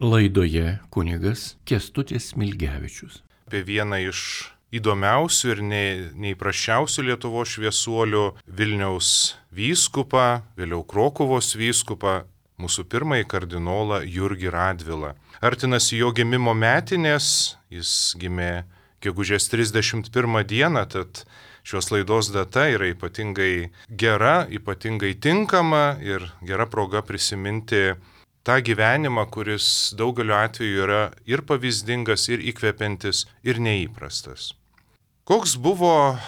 Laidoje kunigas Kęstutis Smilgevičius. Apie vieną iš įdomiausių ir neįprasčiausių Lietuvos šviesuolių Vilniaus vyskupą, vėliau Krokuvos vyskupą, mūsų pirmąjį kardinolą Jurgį Radvilą. Artinasi jo gimimo metinės, jis gimė gegužės 31 dieną, tad šios laidos data yra ypatingai gera, ypatingai tinkama ir gera proga prisiminti tą gyvenimą, kuris daugeliu atveju yra ir pavyzdingas, ir įkvepiantis, ir neįprastas. Koks buvo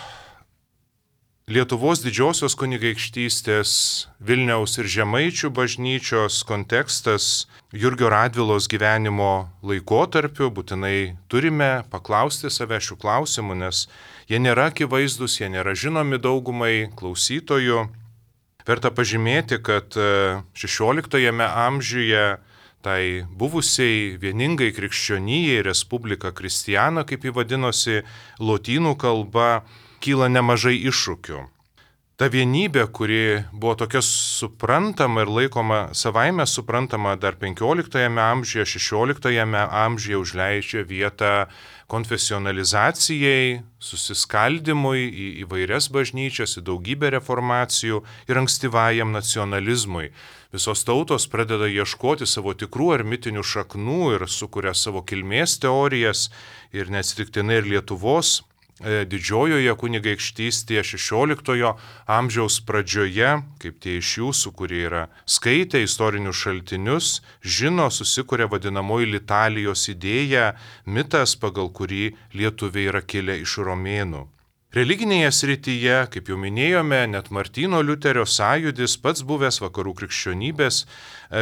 Lietuvos didžiosios kunigaikštystės Vilniaus ir Žemaičių bažnyčios kontekstas Jurgio Radvilos gyvenimo laikotarpiu, būtinai turime paklausti save šių klausimų, nes jie nėra akivaizdus, jie nėra žinomi daugumai klausytojų. Verta pažymėti, kad XVI amžiuje tai buvusiai vieningai krikščionijai Respublika Kristiana, kaip jį vadinosi lotynų kalba, kyla nemažai iššūkių. Ta vienybė, kuri buvo tokia suprantama ir laikoma savaime suprantama dar XV amžiuje, XVI amžiuje užleidžia vietą konfesionalizacijai, susiskaldimui į įvairias bažnyčias, į daugybę reformacijų ir ankstyvajam nacionalizmui. Visos tautos pradeda ieškoti savo tikrų ar mitinių šaknų ir sukuria savo kilmės teorijas ir neatsitiktinai ir Lietuvos didžiojoje kunigaikštystėje XVI amžiaus pradžioje, kaip tie iš jūsų, kurie yra skaitę istorinius šaltinius, žino, susikuria vadinamoji Litalijos idėja, mitas, pagal kurį lietuviai yra kilę iš romėnų. Religinėje srityje, kaip jau minėjome, net Martyno Liuterio sąjūdis, pats buvęs vakarų krikščionybės,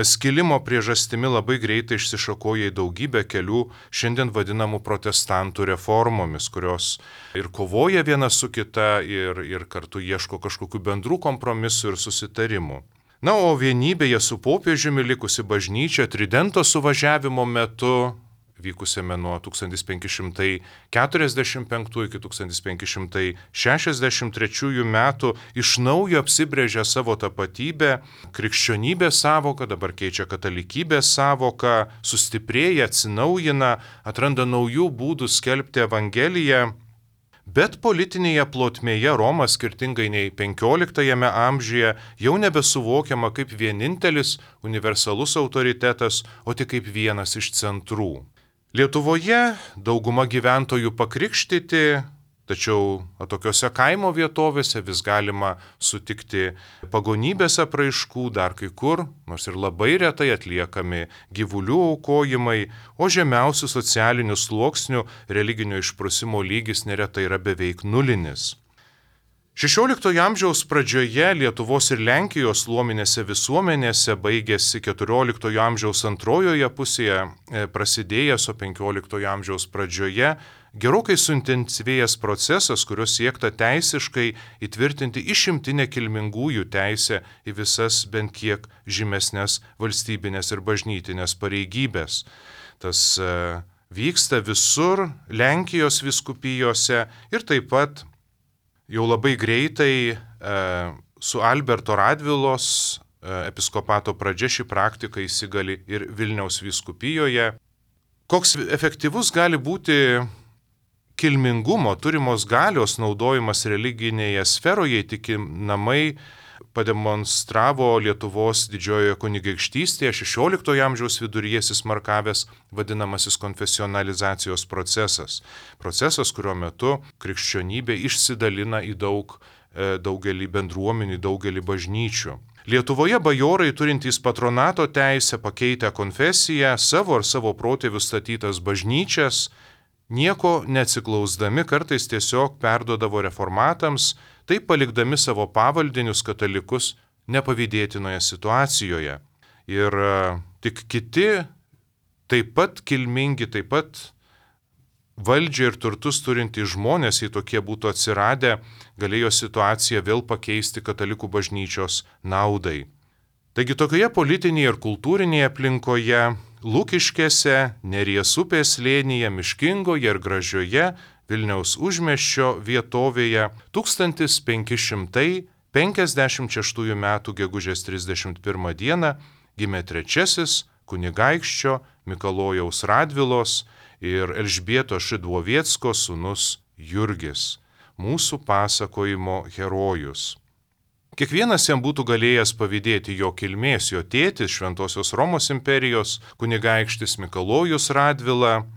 skilimo priežastimi labai greitai išsišakoja į daugybę kelių šiandien vadinamų protestantų reformomis, kurios ir kovoja viena su kita ir kartu ieško kažkokių bendrų kompromisų ir susitarimų. Na, o vienybėje su popiežiumi likusi bažnyčia Tridento suvažiavimo metu, vykusiame nuo 1545 iki 1563 metų, iš naujo apsibrėžia savo tapatybę, krikščionybės sąvoką, dabar keičia katalikybės sąvoką, sustiprėja, atsinaujina, atranda naujų būdų skelbti Evangeliją. Bet politinėje plotmėje Roma, skirtingai nei XV amžiuje, jau nebesuvokiama kaip vienintelis universalus autoritetas, o tik kaip vienas iš centrų. Lietuvoje dauguma gyventojų pakrikštyti, tačiau tokiose kaimo vietovėse vis galima sutikti pagonybės apraiškų, dar kai kur, nors ir labai retai atliekami gyvulių aukojimai, o žemiausių socialinių sluoksnių religinio išprusimo lygis neretai yra beveik nulinis. XVI amžiaus pradžioje Lietuvos ir Lenkijos luominėse visuomenėse baigėsi XIV amžiaus antrojoje pusėje, prasidėjęs, o XV amžiaus pradžioje gerokai suintensyvėjęs procesas, kurio siekta teisiškai įtvirtinti išimtinę kilmingųjų teisę į visas bent kiek žymesnės valstybinės ir bažnytinės pareigybės. Tas vyksta visur Lenkijos vyskupijose ir taip pat jau labai greitai su Alberto Radvilos episkopato pradžia ši praktika įsigali ir Vilniaus vyskupijoje. Koks efektyvus gali būti kilmingumo, turimos galios naudojimas religinėje sferoje įtikinamai pademonstravo Lietuvos didžiojoje kunigaikštystėje XVI amžiaus viduryje įsismarkavęs vadinamasis konfesionalizacijos procesas. Procesas, kurio metu krikščionybė išsidalina į daugelį bendruomenių, daugelį bažnyčių. Lietuvoje bajorai turintys patronato teisę pakeitę konfesiją, savo ar savo protėvių statytas bažnyčias, nieko neatsiklausdami kartais tiesiog perduodavo reformatams, taip palikdami savo pavaldinius katalikus nepavydėtinoje situacijoje. Ir tik kiti, taip pat kilmingi, taip pat valdžią ir turtus turintys žmonės, jei tokie būtų atsiradę, galėjo situaciją vėl pakeisti katalikų bažnyčios naudai. Taigi tokioje politinėje ir kultūrinėje aplinkoje, Lukiškėse, Neries upės slėnyje, miškingoje ir gražioje Vilniaus užmiesčio vietovėje 1556 m. gegužės 31 d. gimė trečiasis kunigaikščio Mikalojaus Radvilos ir Elžbietos Šidlovieckos sūnus Jurgis, mūsų pasakojimo herojus. Kiekvienas jam būtų galėjęs pavydėti jo kilmės, jo tėtis, Šventosios Romos imperijos kunigaikštis Mikalojus Radvila,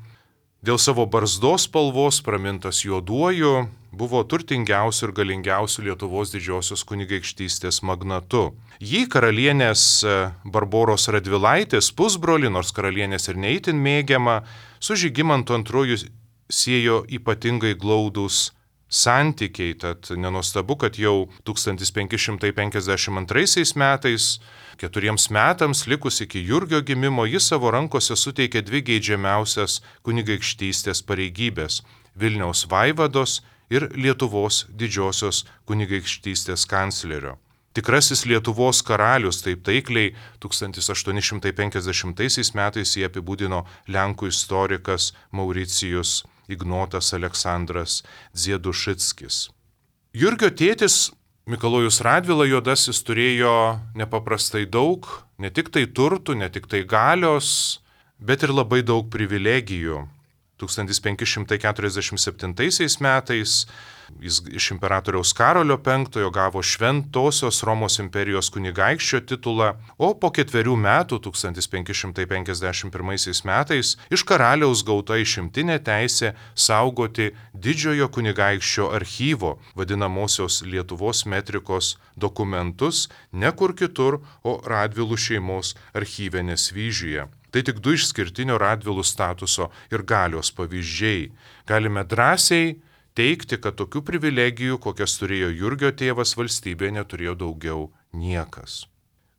dėl savo barzdos spalvos pramintas juoduoju, buvo turtingiausių ir galingiausių Lietuvos didžiosios kunigaikštystės magnatu. Jį karalienės Barboros Radvilaitės pusbrolį, nors karalienės ir neįtin mėgiama, su Žygimantu II siejo ypatingai glaudūs santykiai, tad nenuostabu, kad jau 1552 metais, 4 metams likus iki Jurgio gimimo, jis savo rankose suteikė 2 geidžiamiausias kunigaikštystės pareigybės - Vilniaus vaivados ir Lietuvos didžiosios kunigaikštystės kanclerio. Tikrasis Lietuvos karalius, taip taikliai 1850 metais jį apibūdino lenkų istorikas Mauricijus Ignotas Aleksandras Dziedušickis. Jurgio tėtis Mikalojus Radvila Juodasis turėjo nepaprastai daug, ne tik tai turtų, ne tik tai galios, bet ir labai daug privilegijų. 1547 metais jis iš imperatoriaus Karolio V gavo Šventosios Romos imperijos kunigaikščio titulą, o po 4 metų, 1551 metais, iš karaliaus gauta išimtinė teisė saugoti didžiojo kunigaikščio archyvo, vadinamosios Lietuvos metrikos dokumentus, ne kur kitur, o Radvilų šeimos archyve Nesvyžiuje. Tai tik 2 išskirtinio Radvilų statuso ir galios pavyzdžiai. Galime drąsiai teigti, kad tokių privilegijų, kokias turėjo Jurgio tėvas, valstybėje neturėjo daugiau niekas.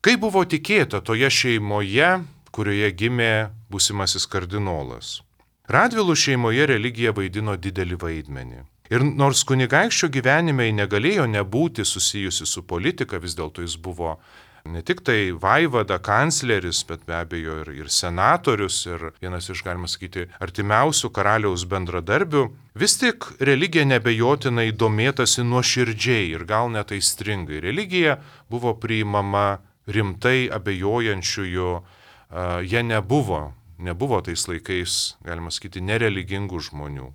Kai buvo tikėta toje šeimoje, kurioje gimė būsimasis kardinolas? Radvilų šeimoje religija vaidino didelį vaidmenį. Ir nors kunigaikščio gyvenime negalėjo nebūti susijusi su politika, vis dėlto jis buvo ne tik tai vaivada, kancleris, bet be abejo ir senatorius, ir vienas iš, galima sakyti, artimiausių karaliaus bendradarbių, vis tik religija nebejotinai domėtasi nuoširdžiai ir gal net aistringai. Religija buvo priimama rimtai abejojančiųjų, jie nebuvo tais laikais, galima sakyti, nereligingų žmonių.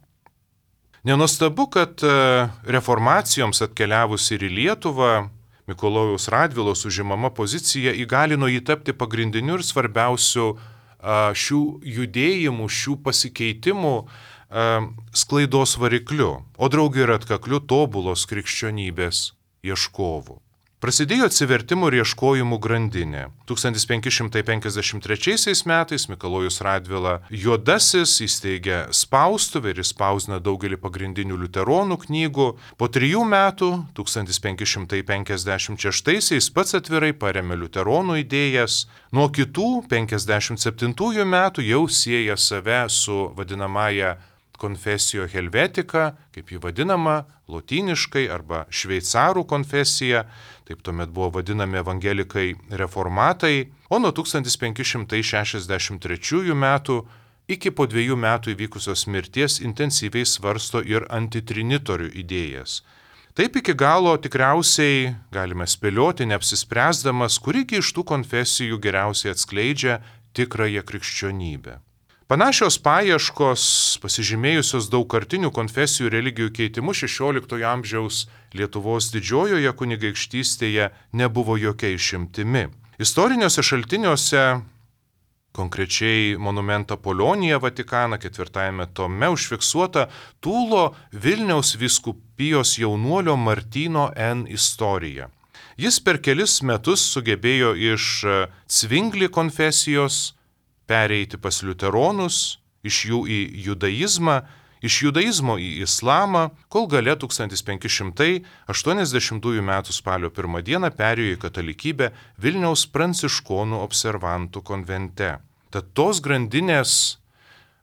Nenuostabu, kad reformacijoms atkeliavus ir į Lietuvą, Mikalojaus Radvilos užimama pozicija įgalino jį tapti pagrindiniu ir svarbiausiu šių judėjimų, šių pasikeitimų sklaidos varikliu, o draugė ir atkakliu tobulos krikščionybės ieškovu. Prasidėjo atsivertimų ir ieškojimų grandinė. 1553 metais Mikalojus Radvila Juodasis įsteigė spaustuvę ir išspausdino daugelį pagrindinių liuteronų knygų. Po 3 metų, 1556 pats atvirai parėmė liuteronų idėjas. Nuo kitų 57 metų jau sieja save su vadinamąja Confessio Helvetica, kaip jį vadinama, lotyniškai arba šveicarų konfesija, taip tuomet buvo vadinami evangelikai reformatai, o nuo 1563 metų iki po 2 metų įvykusios mirties intensyviai svarsto ir antitrinitorių idėjas. Taip iki galo tikriausiai galime spėlioti, neapsispręsdamas, kurigi iš tų konfesijų geriausiai atskleidžia tikrąją krikščionybę. Panašios paieškos, pasižymėjusios daugkartinių konfesijų religijų keitimu 16 amžiaus Lietuvos didžiojoje kunigaikštystėje nebuvo jokia išimtimi. Istoriniuose šaltiniuose, konkrečiai Monumenta Polonija Vatikaną 4 tome užfiksuota Tūlo Vilniaus vyskupijos jaunuolio Martyno N. istorija. Jis per kelis metus sugebėjo iš Cvingli konfesijos pereiti pas liuteronus, iš jų į judaizmą, iš judaizmo į islamą, kol gale 1580 m. spalio 1 d. perėjo į katalikybę Vilniaus pranciškonų observantų konvente. Tad tos grandinės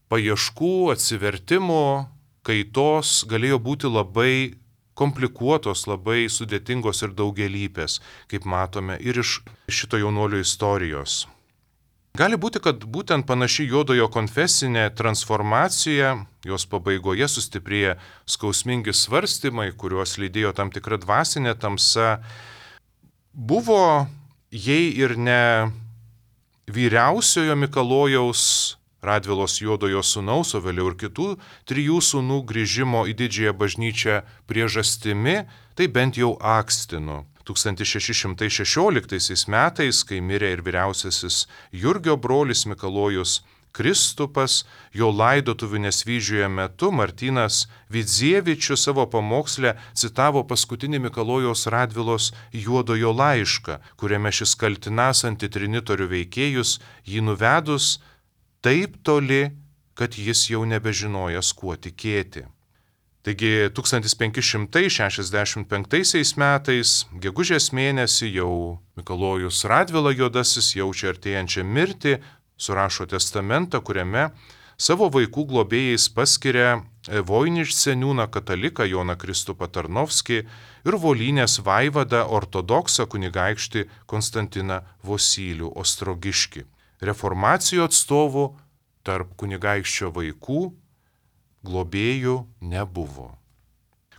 paieškų, atsivertimų, kaitos galėjo būti labai komplikuotos, labai sudėtingos ir daugelypės, kaip matome ir iš šito jaunuolio istorijos. Gali būti, kad būtent panaši juodojo konfesinė transformacija, jos pabaigoje sustiprėję skausmingi svarstymai, kuriuos lydėjo tam tikra dvasinė tamsa, buvo, jei ir ne vyriausiojo Mikalojaus Radvilos Juodojo sūnaus, o vėliau ir kitų 3 sūnų grįžimo į didžiąją bažnyčią priežastimi, tai bent jau akstinu. 1616 metais, kai mirė ir vyriausiasis Jurgio brolis Mikalojus Kristupas, jo laidotuvių Nesvyžiuje metu Martynas Vidzievičius savo pamoksle citavo paskutinį Mikalojaus Radvilos Juodojo laišką, kuriame šis kaltinąs antitrinitorių veikėjus jį nuvedus taip toli, kad jis jau nebežinojas, kuo tikėti. Taigi 1565 metais, gegužės mėnesį, jau Mikalojus Radvila Juodasis jaučia artėjančią mirtį, surašo testamentą, kuriame savo vaikų globėjais paskiria Voiniš seniūną kataliką Joną Kristupą Tarnovskį ir Volynės vaivadą ortodoksą kunigaikštį Konstantiną Vosylių Ostrogiškį. Reformacijų atstovų tarp kunigaikščio vaikų globėjų nebuvo.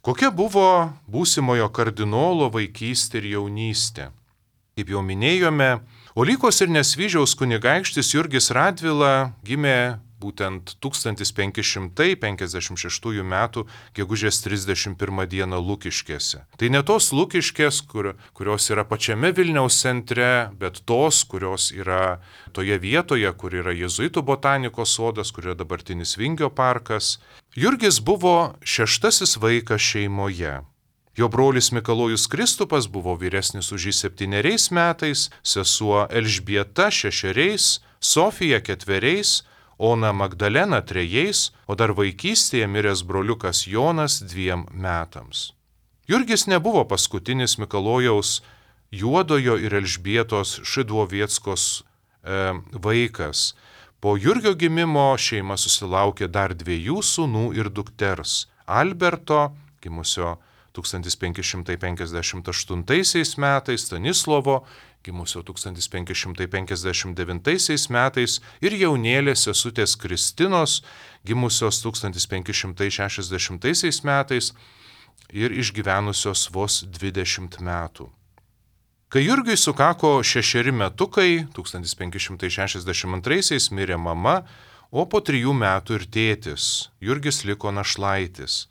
Kokia buvo būsimojo kardinolo vaikystė ir jaunystė? Kaip jau minėjome, Olykos ir Nesvyžiaus kunigaikštis Jurgis Radvila gimė būtent 1556 m. gegužės 31 d. Lukiškėse. Tai ne tos Lukiškės, kurios yra pačiame Vilniaus centre, bet tos, kurios yra toje vietoje, kur yra Jėzuitų botanikos sodas, kur yra dabartinis Vingio parkas. Jurgis buvo 6. vaikas šeimoje. Jo brolis Mikalojus Kristupas buvo vyresnis už jį 7 metais, sesuo Elžbieta 6, Sofija 4, Ona Magdalena 3, o dar vaikystėje miręs broliukas Jonas 2 metams. Jurgis nebuvo paskutinis Mikalojaus Juodojo ir Elžbietos Šidlovieckos vaikas. Po Jurgio gimimo šeima susilaukė dar 2 sūnų ir dukters – Alberto, gimusio 1558 metais, Stanislovo, gimusio 1559 metais ir jaunėlės sesutės Kristinos, gimusios 1560 metais ir išgyvenusios vos 20 metų. Kai Jurgiui sukako 6 metukai, 1562 mirė mama, o po 3 metų ir tėtis. Jurgis liko našlaitis.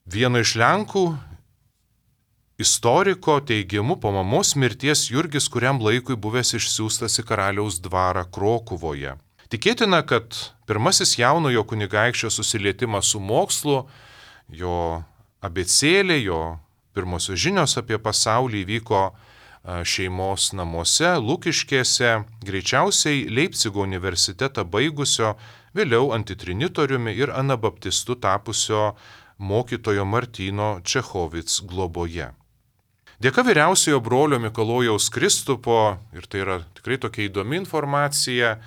Vieno iš Lenkų istoriko teigimu, po mamos mirties Jurgis kuriam laikui buvęs išsiųstas į karaliaus dvarą Krokuvoje. Tikėtina, kad pirmasis jaunojo kunigaikščio susilietimas su mokslu, jo abėcėlė, jo pirmosios žinios apie pasaulį vyko šeimos namuose, Lukiškėse, greičiausiai Leipcigo universitetą baigusio, vėliau antitrinitoriumi ir anabaptistu tapusio mokytojo Martyno Čechovic globoje. Dėka vyriausiojo brolio Mikalojaus Kristupo, ir tai yra tikrai tokia įdomi informacija,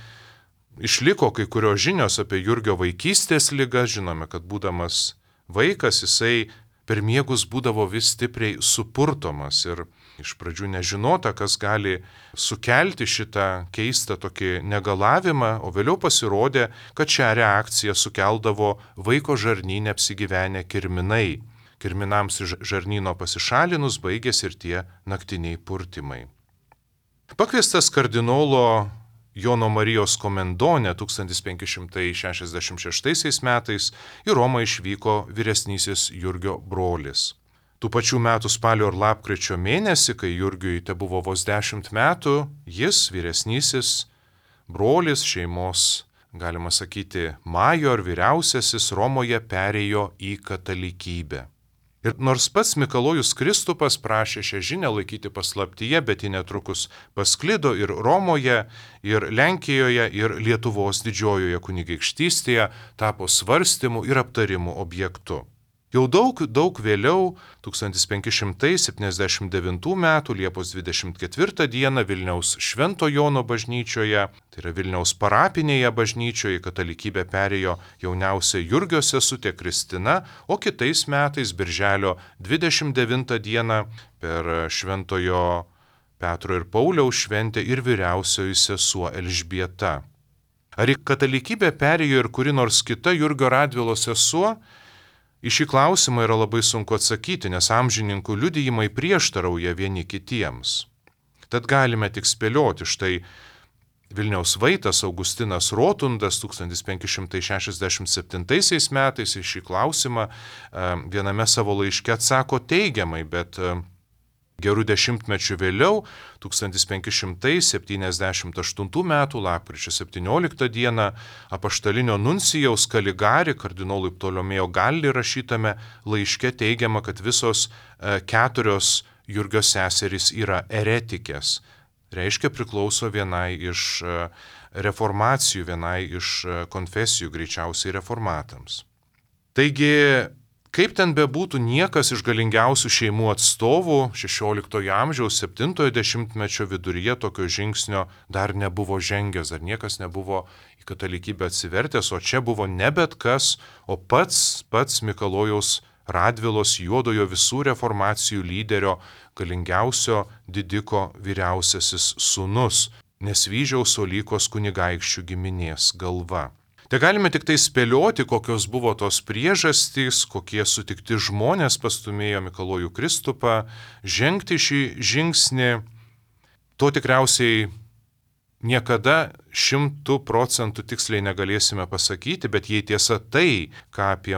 išliko kai kurios žinios apie Jurgio vaikystės ligą. Žinome, kad būdamas vaikas jisai per miegus būdavo vis stipriai supurtomas ir iš pradžių nežinota, kas gali sukelti šitą keistą tokį negalavimą, o vėliau pasirodė, kad šią reakciją sukeldavo vaiko žarnyne apsigyvenę kirminai. Kirminams iš žarnyno pasišalinus baigėsi ir tie naktiniai purtimai. Pakviestas kardinolo Jono Marijos Komendone 1566 metais į Romą išvyko vyresnysis Jurgio brolis. Tų pačių metų spalio ir lapkričio mėnesį, kai Jurgiui tebuvo vos 10 metų, jis, vyresnysis brolis šeimos, galima sakyti, major vyriausiasis Romoje perėjo į katalikybę. Ir nors pats Mikalojus Kristupas prašė šią žinią laikyti paslaptyje, bet ji netrukus pasklido ir Romoje, ir Lenkijoje, ir Lietuvos didžiojoje kunigaikštystėje, tapo svarstymų ir aptarimų objektu. Jau daug vėliau, 1579 m. Liepos 24 d. Vilniaus Švento Jono bažnyčioje, tai yra Vilniaus parapinėje bažnyčioje, į katalikybę perėjo jauniausia Jurgio sesutė Kristina, o kitais metais, birželio 29 d. per Šventojo Petro ir Pauliaus šventę ir vyriausioji sesuo Elžbieta. Ar į katalikybę perėjo ir kuri nors kita Jurgio Radvilos sesuo? Į šį klausimą yra labai sunku atsakyti, nes amžininkų liudijimai prieštarauja vieni kitiems. Tad galime tik spėlioti, štai Vilniaus vaitas Augustinas Rotundas 1567 metais į šį klausimą viename savo laiške atsako teigiamai, bet gerų dešimtmečių vėliau, 1578 m. lapkričio 17 d. apaštalinio nuncijaus Kaligari kardinolui Ptolomėjo Galli rašytame laiške teigiama, kad visos 4 Jurgio seserys yra eretikės. Reiškia priklauso vienai iš reformacijų, vienai iš konfesijų, greičiausiai reformatams. Taigi, kaip ten bebūtų, niekas iš galingiausių šeimų atstovų 16 amžiaus 70-mečio viduryje tokio žingsnio dar nebuvo žengęs, dar niekas nebuvo į katalikybę atsivertęs, o čia buvo ne bet kas, o pats Mikalojaus Radvilos juodojo visų reformacijų lyderio, galingiausio didiko vyriausiasis sūnus, Nesvyžiaus Olykos kunigaikščių giminės galva. Te galime tik tai spėlioti, kokios buvo tos priežastys, kokie sutikti žmonės pastumėjo Mikalojų Kristupą žengti šį žingsnį. To tikriausiai niekada 100% tiksliai negalėsime pasakyti, bet jei tiesa tai, ką apie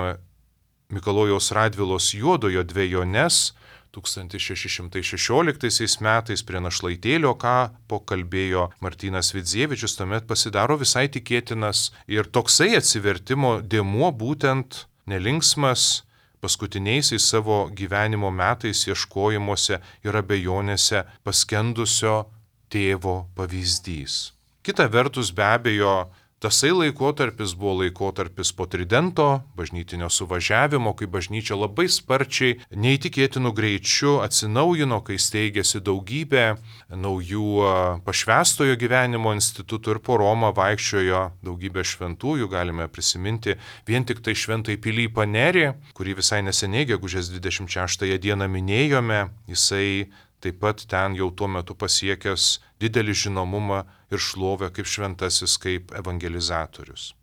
Mikalojaus Radvilos juodojo dvejones 1616 metais prie Našlaitėlio kapo kalbėjo Martynas Vidzievičius, tuomet pasidaro visai tikėtinas ir toksai atsivertimo dėmuo būtent nelinksmas paskutiniaisiais savo gyvenimo metais ieškojimuose ir abejonėse paskendusio tėvo pavyzdys. Kita vertus, be abejo, tasai laikotarpis buvo laikotarpis po Tridento bažnytinio suvažiavimo, kai bažnyčia labai sparčiai, neįtikėtinu greičiu atsinaujino, kai steigėsi daugybė naujų pašvęstojo gyvenimo institutų ir po Romą vaikščiojo daugybė šventųjų. Galime prisiminti vien tik tai šventąjį Pilypą Nerį, kurį visai neseniai gegužės 26 dieną minėjome. Jisai taip pat ten jau tuo metu pasiekęs didelį žinomumą ir šlovę kaip šventasis, kaip evangelizatorius.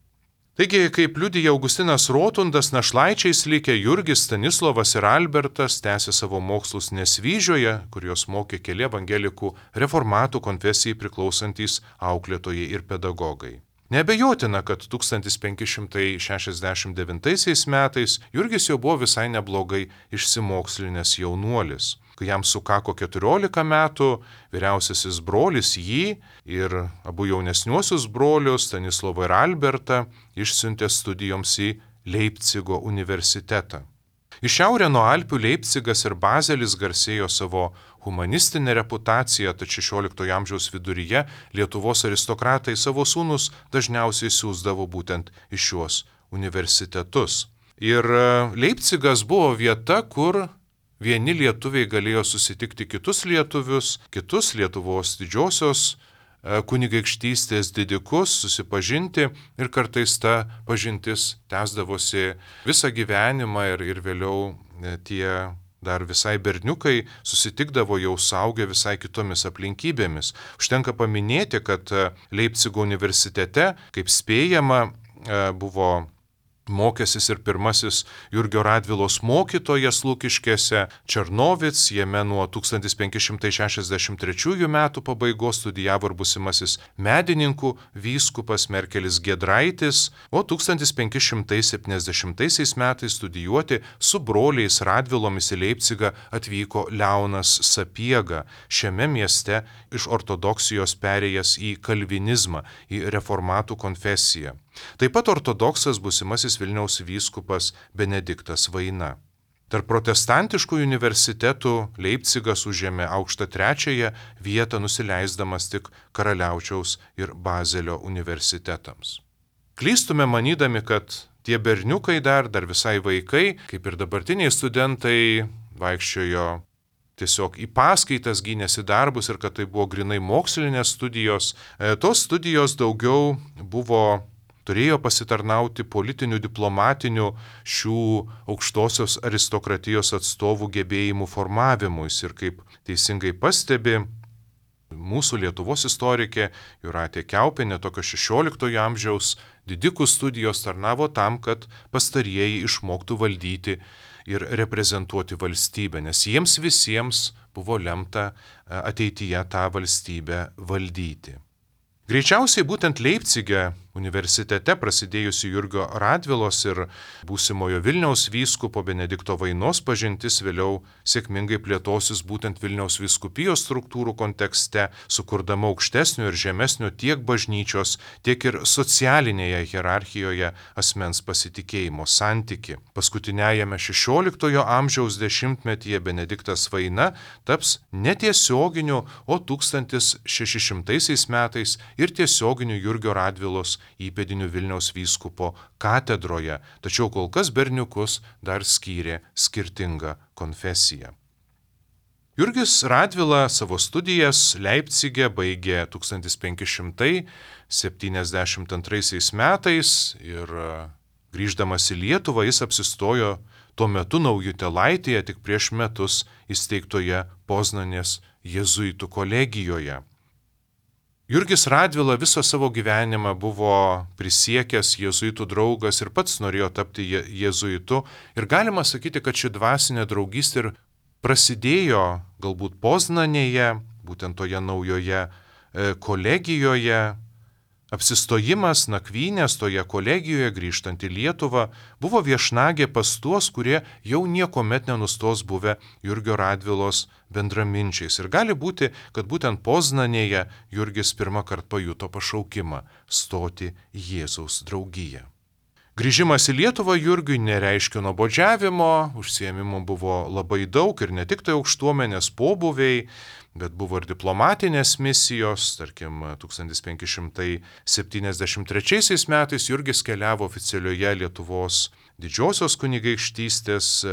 Taigi, kaip liudija Augustinas Rotundas, našlaičiais likę Jurgis, Stanislovas ir Albertas tęsė savo mokslus Nesvyžioje, kur juos mokė keli evangelikų reformatų konfesijai priklausantys auklėtojai ir pedagogai. Neabejotina, kad 1569 metais Jurgis jau buvo visai neblogai išsimokslinęs jaunuolis. Kai jam sukako 14 metų, vyriausiasis brolis jį ir abu jaunesniuosius brolius, Stanislovą ir Albertą, išsiuntė studijoms į Leipcigo universitetą. Į šiaurę nuo Alpių Leipcigas ir Bazelis garsėjo savo humanistinę reputaciją, tad 16 amžiaus viduryje Lietuvos aristokratai savo sūnus dažniausiai siųsdavo būtent į šiuos universitetus. Ir Leipcigas buvo vieta, kur vieni lietuviai galėjo susitikti kitus lietuvius, kitus Lietuvos didžiosios kunigaikštystės didikus, susipažinti ir kartais ta pažintis tęsdavosi visą gyvenimą ir vėliau tie dar visai berniukai susitikdavo jau suaugę visai kitomis aplinkybėmis. Užtenka paminėti, kad Leipcigo universitete, kaip spėjama, buvo mokęsis ir pirmasis Jurgio Radvilos mokytojas Lukiškėse Černovic, jame nuo 1563 metų pabaigos studijavo ir būsimasis medininkų vyskupas Merkelis Giedraitis, o 1570 metais studijuoti su broliais Radvilomis į Leipcigą atvyko Leonas Sapiega, šiame mieste iš ortodoksijos perėjęs į kalvinizmą, į reformatų konfesiją. Taip pat ortodoksas būsimasis Vilniaus vyskupas Benediktas Vaina. Tarp protestantiškų universitetų Leipcigas užėmė aukštą 3 vietą, nusileisdamas tik Karaliaučiaus ir Bazelio universitetams. Klystume manydami, kad tie berniukai dar visai vaikai, kaip ir dabartiniai studentai, vaikščiojo tiesiog į paskaitas, gynėsi darbus ir kad tai buvo grinai mokslinės studijos. Tos studijos daugiau turėjo pasitarnauti politinių, diplomatinių šių aukštosios aristokratijos atstovų gebėjimų formavimuisi. Ir kaip teisingai pastebi mūsų Lietuvos istorikė Jūratė Kiaupienė, tokio 16 amžiaus didikų studijos tarnavo tam, kad pastarieji išmoktų valdyti ir reprezentuoti valstybę, nes jiems visiems buvo lemta ateityje tą valstybę valdyti. Greičiausiai būtent Leipcige universitete prasidėjusi Jurgio Radvilos ir būsimojo Vilniaus vyskupo Benedikto Vainos pažintis vėliau sėkmingai plėtosis būtent Vilniaus vyskupijos struktūrų kontekste, sukurdama aukštesnio ir žemesnio tiek bažnyčios, tiek ir socialinėje hierarchijoje asmens pasitikėjimo santyki. Paskutiniajame 16 amžiaus dešimtmetyje Benediktas Vaina taps netiesioginiu, o 1600 metais ir tiesioginiu Jurgio Radvilos įpėdiniu Vilniaus vyskupo katedroje, tačiau kol kas berniukus dar skyrė skirtinga konfesija. Jurgis Radvila savo studijas Leipcige baigė 1572 metais ir grįždamas į Lietuvą jis apsistojo tuo metu Naujutėlaitėje tik prieš metus įsteigtoje Poznanės jėzuitų kolegijoje. Jurgis Radvila visą savo gyvenimą buvo prisiekęs jėzuitų draugas ir pats norėjo tapti jėzuitu. Ir galima sakyti, kad ši dvasinė draugystė ir prasidėjo galbūt Poznanėje, būtent toje naujoje kolegijoje. Apsistojimas, nakvynės toje kolegijoje grįžtant į Lietuvą buvo viešnagė pas tuos, kurie jau niekuomet nenustos buvę Jurgio Radvilos bendraminčiais. Ir gali būti, kad būtent Poznanėje Jurgis pirmą kartą pajuto pašaukimą stoti į Jėzaus draugiją. Grįžimas į Lietuvą Jurgiui nereiškia nuobodžiavimo, užsiėmimų buvo labai daug ir ne tik tai aukštuomenės pobūviai, bet buvo ir diplomatinės misijos. Tarkim, 1573 metais Jurgis keliavo oficialioje Lietuvos didžiosios kunigaikštystės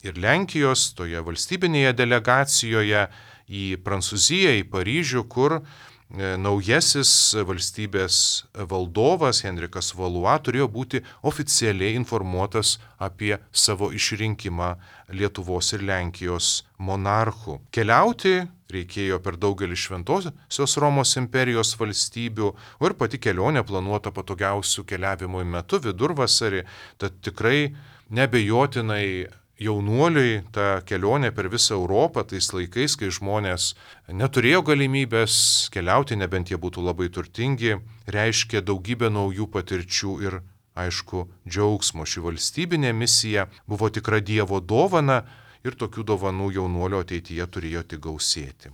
ir Lenkijos toje valstybinėje delegacijoje į Prancūziją, į Paryžių, kur naujasis valstybės valdovas Henrikas Valua turėjo būti oficialiai informuotas apie savo išrinkimą Lietuvos ir Lenkijos monarchų. Keliauti reikėjo per daugelį Šventosios Romos imperijos valstybių, o ir pati kelionė planuota patogiausių keliavimo metu vidurvasarį, tad tikrai neabejotinai jaunuoliui ta kelionė per visą Europą tais laikais, kai žmonės neturėjo galimybės keliauti, nebent jie būtų labai turtingi, reiškia daugybę naujų patirčių ir, aišku, džiaugsmo. Ši valstybinė misija buvo tikra Dievo dovana ir tokių dovanų jaunuolio ateityje turėjo tik gausėti.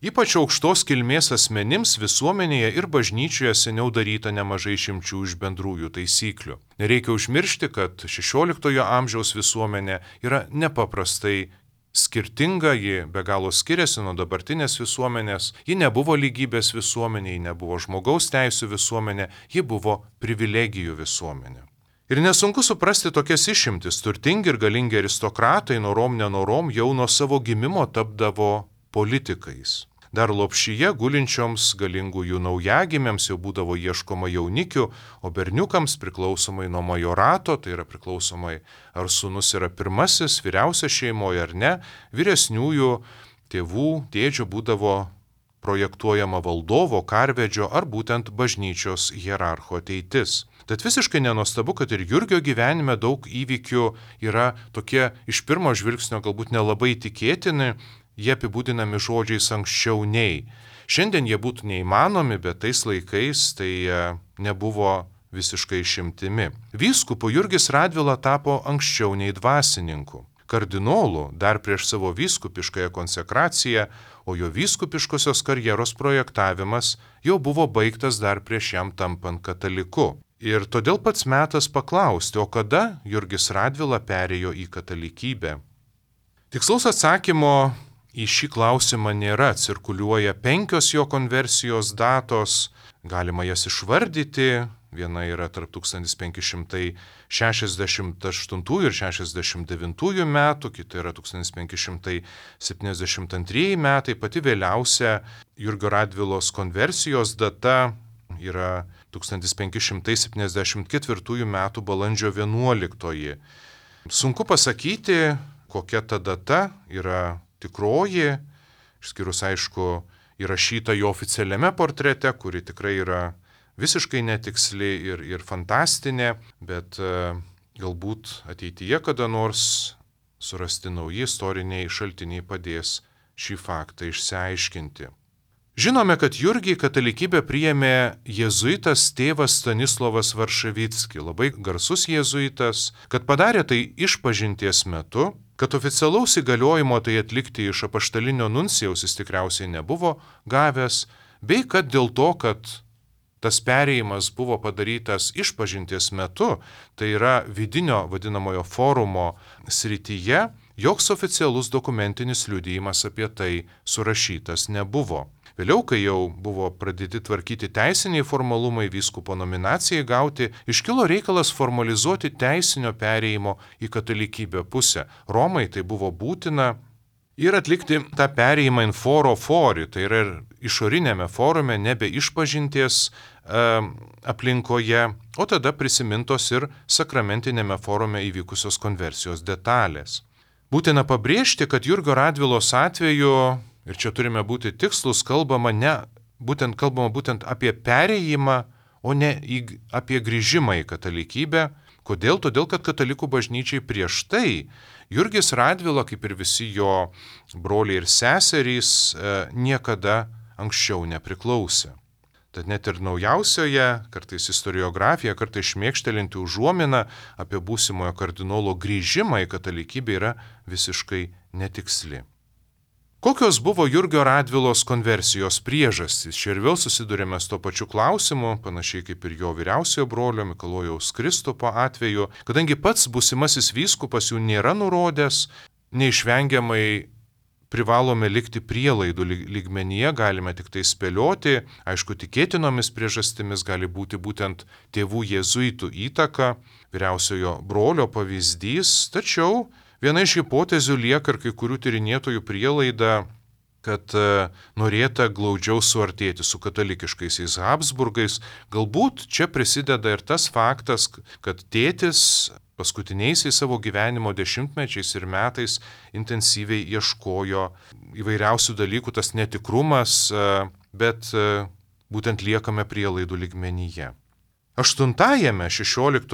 Ypač aukštos kilmės asmenims visuomenėje ir bažnyčioje seniau daryta nemažai išimčių iš bendrųjų taisyklių. Nereikia užmiršti, kad 16 amžiaus visuomenė yra nepaprastai skirtinga, ji be galo skiriasi nuo dabartinės visuomenės, ji nebuvo lygybės visuomenė, ji nebuvo žmogaus teisų visuomenė, ji buvo privilegijų visuomenė. Ir nesunku suprasti tokias išimtis. Turtingi ir galingi aristokratai norom nenorom jau nuo savo gimimo tapdavo politikais. Dar Lopšyje gulinčioms galingųjų naujagimėms jau būdavo ieškoma jaunikių, o berniukams priklausomai nuo majorato, tai yra priklausomai ar sūnus yra pirmasis, vyriausias šeimoje ar ne, vyresniųjų tėvų, tėdžių būdavo projektuojama valdovo, karvedžio ar būtent bažnyčios hierarcho ateitis. Tad visiškai nenuostabu, kad ir Jurgio gyvenime daug įvykių yra tokie iš pirmo žvilgsnio galbūt nelabai tikėtini, jie apibūdinami žodžiais anksčiau nei. Šiandien jie būtų neįmanomi, bet tais laikais tai nebuvo visiškai išimtimi. Vyskupu Jurgis Radvila tapo anksčiau nei dvasininku. Kardinolu dar prieš savo vyskupiškąją konsekraciją, o jo vyskupiškosios karjeros projektavimas jau buvo baigtas dar prieš jam tampant kataliku. Ir todėl pats metas paklausti, o kada Jurgis Radvila perėjo į katalikybę? Tikslaus atsakymo į šį klausimą nėra, cirkuliuoja 5 jo konversijos datos, galima jas išvardyti, viena yra tarp 1568 ir 69 metų, kita yra 1572 metai, pati vėliausia Jurgio Radvilos konversijos data yra 1574 metų balandžio 11. Sunku pasakyti, kokia ta data yra tikroji, išskyrus aišku įrašyta jo oficialiame portrete, kuri tikrai yra visiškai netiksli ir fantastinė, bet galbūt ateityje kada nors surasti nauji istoriniai šaltiniai padės šį faktą išsiaiškinti. Žinome, kad Jurgį katalikybę priėmė jėzuitas tėvas Stanislovas Varšavicki, labai garsus jėzuitas, kad padarė tai išpažinties metu, kad oficialaus įgaliojimo tai atlikti iš apaštalinio nuncijaus jis tikriausiai nebuvo gavęs, bei kad dėl to, kad tas perėjimas buvo padarytas išpažinties metu, tai yra vidinio vadinamojo forumo srityje, joks oficialus dokumentinis liudijimas apie tai surašytas nebuvo. Vėliau, kai jau buvo pradėti tvarkyti teisiniai formalumai vyskupo nominacijai gauti, iškilo reikalas formalizuoti teisinio perėjimo į katalikybę pusę. Romai tai buvo būtina ir atlikti tą perėjimą in foro fori, tai yra ir išorinėme forume, nebe išpažinties aplinkoje, o tada prisimintos ir sakramentinėme forume įvykusios konversijos detalės. Būtina pabrėžti, kad Jurgio Radvilos atveju, ir čia turime būti tikslus, kalbama būtent apie perėjimą, o ne apie grįžimą į katalikybę. Kodėl? Todėl, kad katalikų bažnyčiai prieš tai Jurgis Radvila, kaip ir visi jo broliai ir seserys, niekada anksčiau nepriklausė. Tad net ir naujausioje, kartais istoriografija, kartais šmėkštelinti užuomina apie būsimojo kardinolo grįžimą į katalikybę yra visiškai netiksli. Kokios buvo Jurgio Radvilos konversijos priežastys? Čia ir vėl susidurėme su to pačiu klausimu, panašiai kaip ir jo vyriausiojo brolio Mikalojaus Kristupo atveju, kadangi pats būsimasis vyskupas jų nėra nurodęs, neišvengiamai privalome likti prielaidų lygmenyje, galime tik tai spėlioti, aišku, tikėtinomis priežastimis gali būti būtent tėvų jėzuitų įtaka, vyriausiojo brolio pavyzdys, tačiau viena iš hipotezių lieka ir kai kurių tyrinėtojų prielaida, kad norėta glaudžiau suartėti su katalikiškaisiais Habsburgais. Galbūt čia prisideda ir tas faktas, kad tėtis paskutiniaisiais savo gyvenimo dešimtmečiais ir metais intensyviai ieškojo įvairiausių dalykų, tas netikrumas, bet būtent liekame prielaidų lygmenyje. 8-ame 16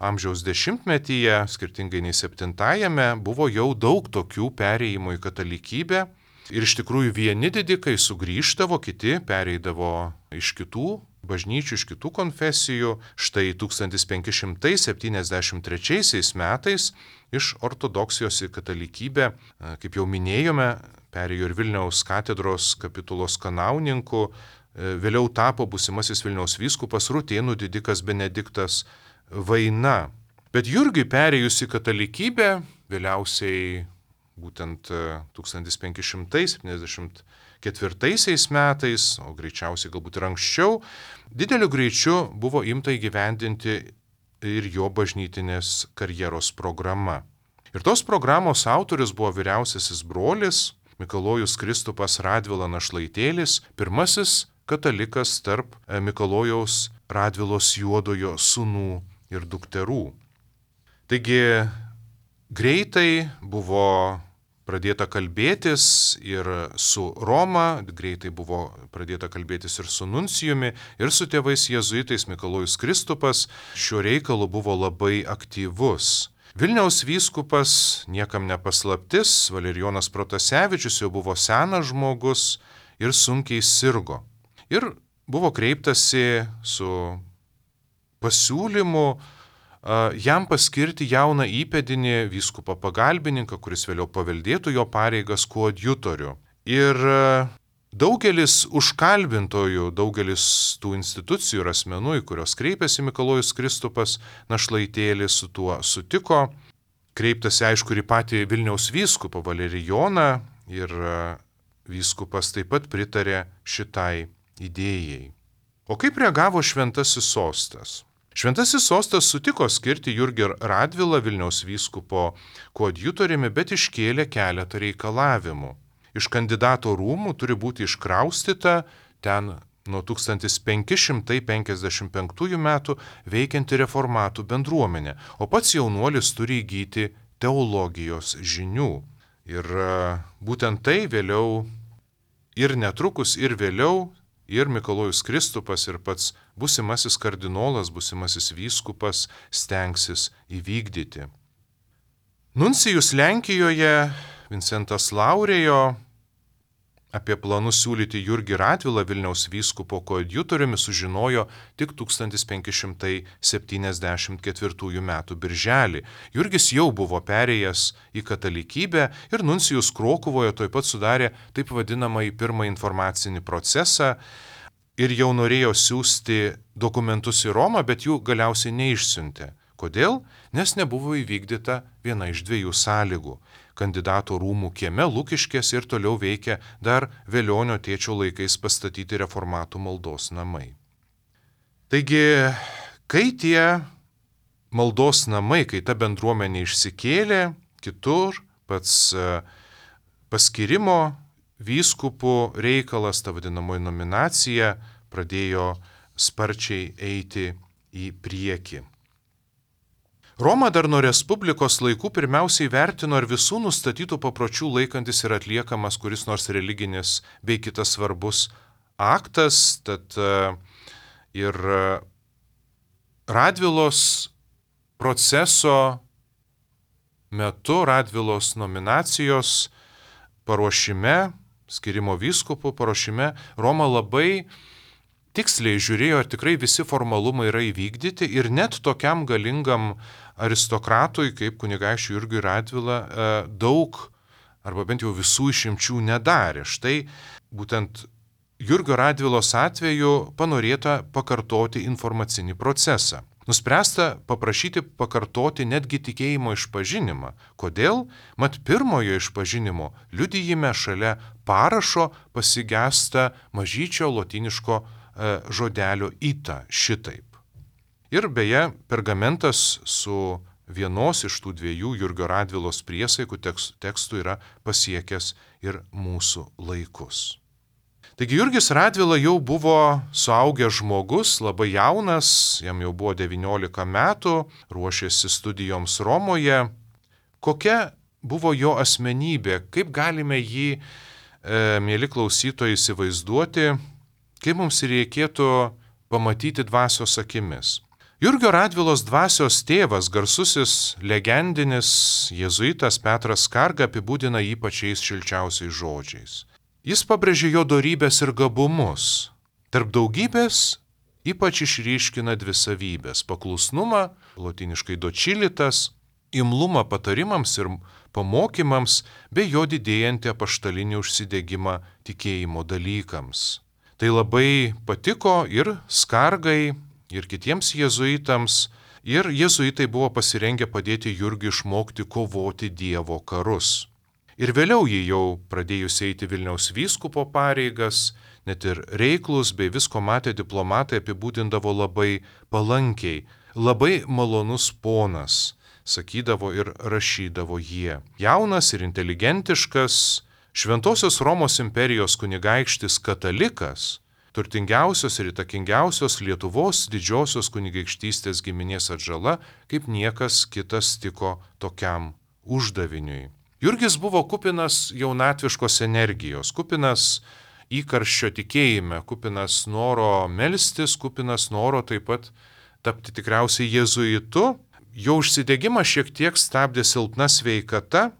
amžiaus dešimtmetyje, skirtingai nei 7-ame, buvo jau daug tokių perėjimų į katalikybę ir iš tikrųjų vieni didikai sugrįždavo, kiti pereidavo iš kitų bažnyčių, iš kitų konfesijų. Štai 1573 metais iš ortodoksijos į katalikybę, kaip jau minėjome, perėjo ir Vilniaus katedros kapitulos kanauninku, vėliau tapo būsimasis Vilniaus vyskupas Rutėnų didikas Benediktas Vaina. Bet Jurgiui perėjus į katalikybę, vėliausiai būtent 1574 metais, o greičiausiai galbūt ir anksčiau, dideliu greičiu buvo imta įgyvendinti ir jo bažnytinės karjeros programa. Ir tos programos autorius buvo vyriausiasis brolis Mikalojus Kristupas Radvila Našlaitėlis, pirmasis katalikas tarp Mikalojaus Radvilos Juodojo sūnų ir dukterų. Taigi greitai buvo pradėta kalbėtis ir su Roma, greitai buvo pradėta kalbėtis ir su nuncijumi, ir su tėvais jėzuitais. Mikalojus Kristupas šiuo reikalu buvo labai aktyvus. Vilniaus vyskupas, niekam nepaslaptis, Valerijonas Protasevičius jau buvo senas žmogus ir sunkiai sirgo. Ir buvo kreiptasi su pasiūlymu jam paskirti jauną įpėdinį vyskupą pagalbininką, kuris vėliau paveldėtų jo pareigas koadjutorių. Ir daugelis užkalbintojų, daugelis tų institucijų ir asmenų, į kurios kreipėsi Mikalojus Kristupas Našlaitėlis, su tuo sutiko. Kreiptasi aišku ir į patį Vilniaus vyskupą Valerijoną ir vyskupas taip pat pritarė šitai idėjai. O kaip reagavo Šventasis sostas? Šventasis sostas sutiko skirti Jurgį Radvilą Vilniaus vyskupo koadjutoriumi, bet iškėlė keletą reikalavimų. Iš kandidato rūmų turi būti iškraustyta ten nuo 1555 metų veikianti reformatų bendruomenė, o pats jaunuolis turi įgyti teologijos žinių. Ir būtent tai vėliau ir netrukus ir vėliau ir Mikalojus Kristupas, ir pats būsimasis kardinolas, būsimasis vyskupas stengsis įvykdyti. Nuncijus Lenkijoje Vincentas Laurėjo apie planus siūlyti Jurgį Radvilą Vilniaus vyskupo koadjutoriumi sužinojo tik 1574 m. birželį. Jurgis jau buvo perėjęs į katalikybę ir nuncijus Krokuvoje tuoj pat sudarė taip vadinamąjį pirmą informacinį procesą ir jau norėjo siųsti dokumentus į Romą, bet jų galiausiai neišsiuntė. Kodėl? Nes nebuvo įvykdyta viena iš dviejų sąlygų. Kandidato rūmų kieme Lukiškėse ir toliau veikia dar Velionio tėčio laikais pastatyti reformatų maldos namai. Taigi, kai tie maldos namai, kai ta bendruomenė išsikėlė kitur, pats paskirimo vyskupų reikalas, ta vadinamoji nominacija, pradėjo sparčiai eiti į priekį. Roma dar nuo Respublikos laikų pirmiausiai vertino, ar visų nustatytų papročių laikantis yra atliekamas kuris nors religinis bei kitas svarbus aktas, tad ir Radvilos proceso metu, Radvilos nominacijos paruošime, skirimo vyskupų paruošime, Roma labai tiksliai žiūrėjo, ar tikrai visi formalumai yra įvykdyti ir net tokiam galingam aristokratui, kaip kunigaikščiui Jurgiui Radvila, daug arba bent jau visų išimčių nedarė. Štai būtent Jurgio Radvilos atveju panorėta pakartoti informacinį procesą. Nuspręsta paprašyti pakartoti netgi tikėjimo išpažinimą. Kodėl? Mat pirmojo išpažinimo liudijime šalia parašo pasigesta mažyčio lotyniško žodelio ita, šitaip. Ir beje, pergamentas su vienos iš tų dviejų Jurgio Radvilos priesaikų tekstų yra pasiekęs ir mūsų laikus. Taigi Jurgis Radvila jau buvo suaugęs žmogus, labai jaunas, jam jau buvo 19 metų, ruošėsi studijoms Romoje. Kokia buvo jo asmenybė, kaip galime jį, mieli klausytojai, įsivaizduoti, kaip mums reikėtų pamatyti dvasios akimis. Jurgio Radvilos dvasios tėvas, garsusis legendinis jėzuitas Petras Skarga apibūdina jį pačiais šilčiausiais žodžiais. Jis pabrėžė jo dorybės ir gabumus. Tarp daugybės ypač išryškina dvi savybės – paklusnumą, lotyniškai docilitas, imlumą patarimams ir pamokymams, bei jo didėjantį apaštalinį užsidegimą tikėjimo dalykams. Tai labai patiko ir Skargai, ir kitiems jėzuitams, ir jėzuitai buvo pasirengę padėti Jurgiui išmokti kovoti Dievo karus. Ir vėliau jį jau pradėjus eiti Vilniaus vyskupo pareigas, net ir reiklus bei visko matę diplomatai apibūdindavo labai palankiai, labai malonus ponas, sakydavo ir rašydavo jie. Jaunas ir inteligentiškas, Šventosios Romos imperijos kunigaikštis katalikas, turtingiausios ir įtakingiausios Lietuvos didžiosios kunigaikštystės giminės atžala, kaip niekas kitas tiko tokiam uždaviniui. Jurgis buvo kupinas jaunatviškos energijos, kupinas įkarščio tikėjime, kupinas noro melstis, kupinas noro taip pat tapti tikriausiai jėzuitu. Jo užsidegimą šiek tiek stabdė silpna sveikata,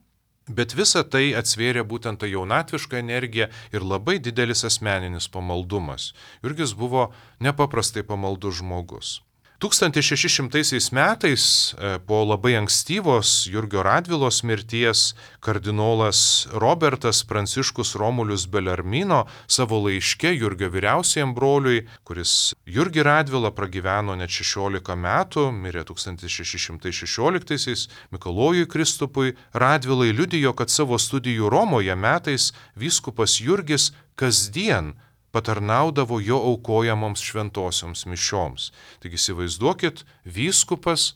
bet visa tai atsvėrė būtent tą jaunatvišką energiją ir labai didelis asmeninis pamaldumas. Jurgis buvo nepaprastai pamaldus žmogus. 1600 metais po labai ankstyvos Jurgio Radvilos mirties kardinolas Robertas Pranciškus Romulius Belarmino savo laiške Jurgio vyriausiajam broliui, kuris Jurgį Radvilą pragyveno net 16 metų, mirė 1616, Mikalojui Kristupui Radvilai liudijo, kad savo studijų Romoje metais vyskupas Jurgis kasdien patarnaudavo jo aukojamoms šventosioms mišioms. Taigi įsivaizduokit, vyskupas,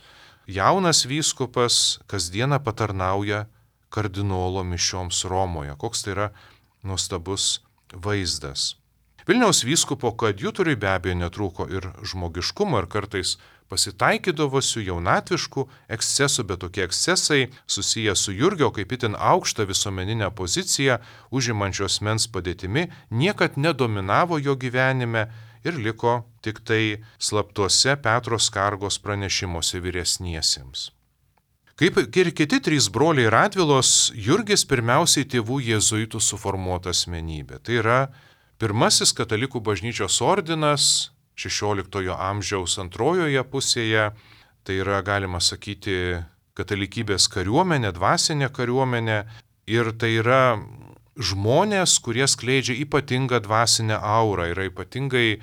jaunas vyskupas kasdieną patarnauja kardinolo mišioms Romoje. Koks tai yra nuostabus vaizdas. Vilniaus vyskupo koadjutoriui be abejo netrūko ir žmogiškumo ir kartais pasitaikydavusių jaunatviškų ekscesų, bet tokie ekscesai susiję su Jurgio kaip itin aukštą visuomeninę poziciją užimančios mens padėtimi niekad nedominavo jo gyvenime ir liko tik tai slaptuose Petro Skargos pranešimuose vyresniesiems. Kaip ir kiti trys broliai Radvilos, Jurgis pirmiausiai tėvų jėzuitų suformuota asmenybė. Tai yra pirmasis katalikų bažnyčios ordinas 16 amžiaus antrojoje pusėje. Tai yra, galima sakyti, katalikybės kariuomenė, dvasinė kariuomenė. Ir tai yra žmonės, kurie skleidžia ypatingą dvasinę aurą, yra ypatingai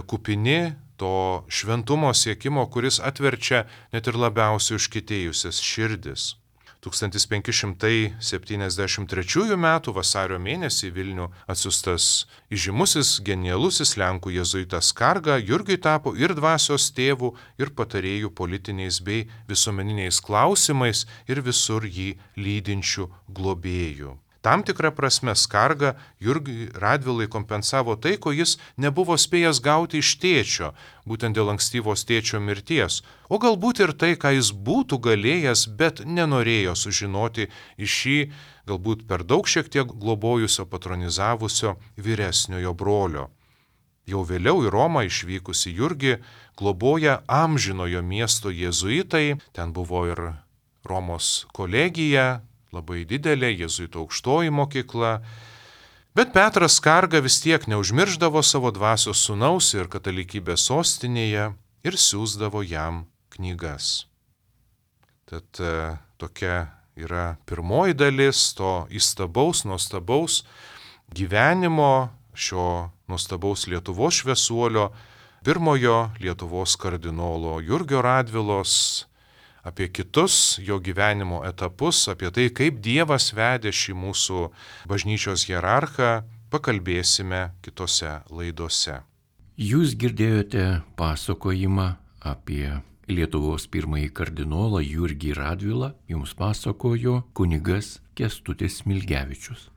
kupini to šventumo siekimo, kuris atverčia net ir labiausiai užkietėjusias širdis. 1573 m. vasario mėnesį Vilnių atsiųstas įžymusis genialusis lenkų jėzuitas Skarga Jurgiui tapo ir dvasios tėvų, ir patarėjų politiniais bei visuomeniniais klausimais ir visur jį lydinčių globėjų. Tam tikrą prasme Skarga Jurgiui Radvilai kompensavo tai, ko jis nebuvo spėjęs gauti iš tėčio, būtent dėl ankstyvos tėčio mirties, o galbūt ir tai, ką jis būtų galėjęs, bet nenorėjo sužinoti iš šį, galbūt per daug šiek tiek globojusio, patronizavusio vyresniojo brolio. Jau vėliau į Romą išvykusi Jurgį globoja amžinojo miesto jėzuitai, ten buvo ir Romos kolegija, labai didelė jėzuitų aukštoji mokykla, bet Petras Skarga vis tiek neužmirždavo savo dvasios sūnaus ir katalikybės sostinėje ir siųsdavo jam knygas. Tad tokia yra pirmoji dalis to įstabaus, nuostabaus gyvenimo šio nuostabaus Lietuvos šviesuolio, pirmojo Lietuvos kardinolo Jurgio Radvilos, apie kitus jo gyvenimo etapus, apie tai, kaip Dievas vedė šį mūsų bažnyčios hierarchą, pakalbėsime kitose laidose. Jūs girdėjote pasakojimą apie Lietuvos pirmąjį kardinolą Jurgį Radvilą, jums pasakojo kunigas Kęstutis Smilgevičius.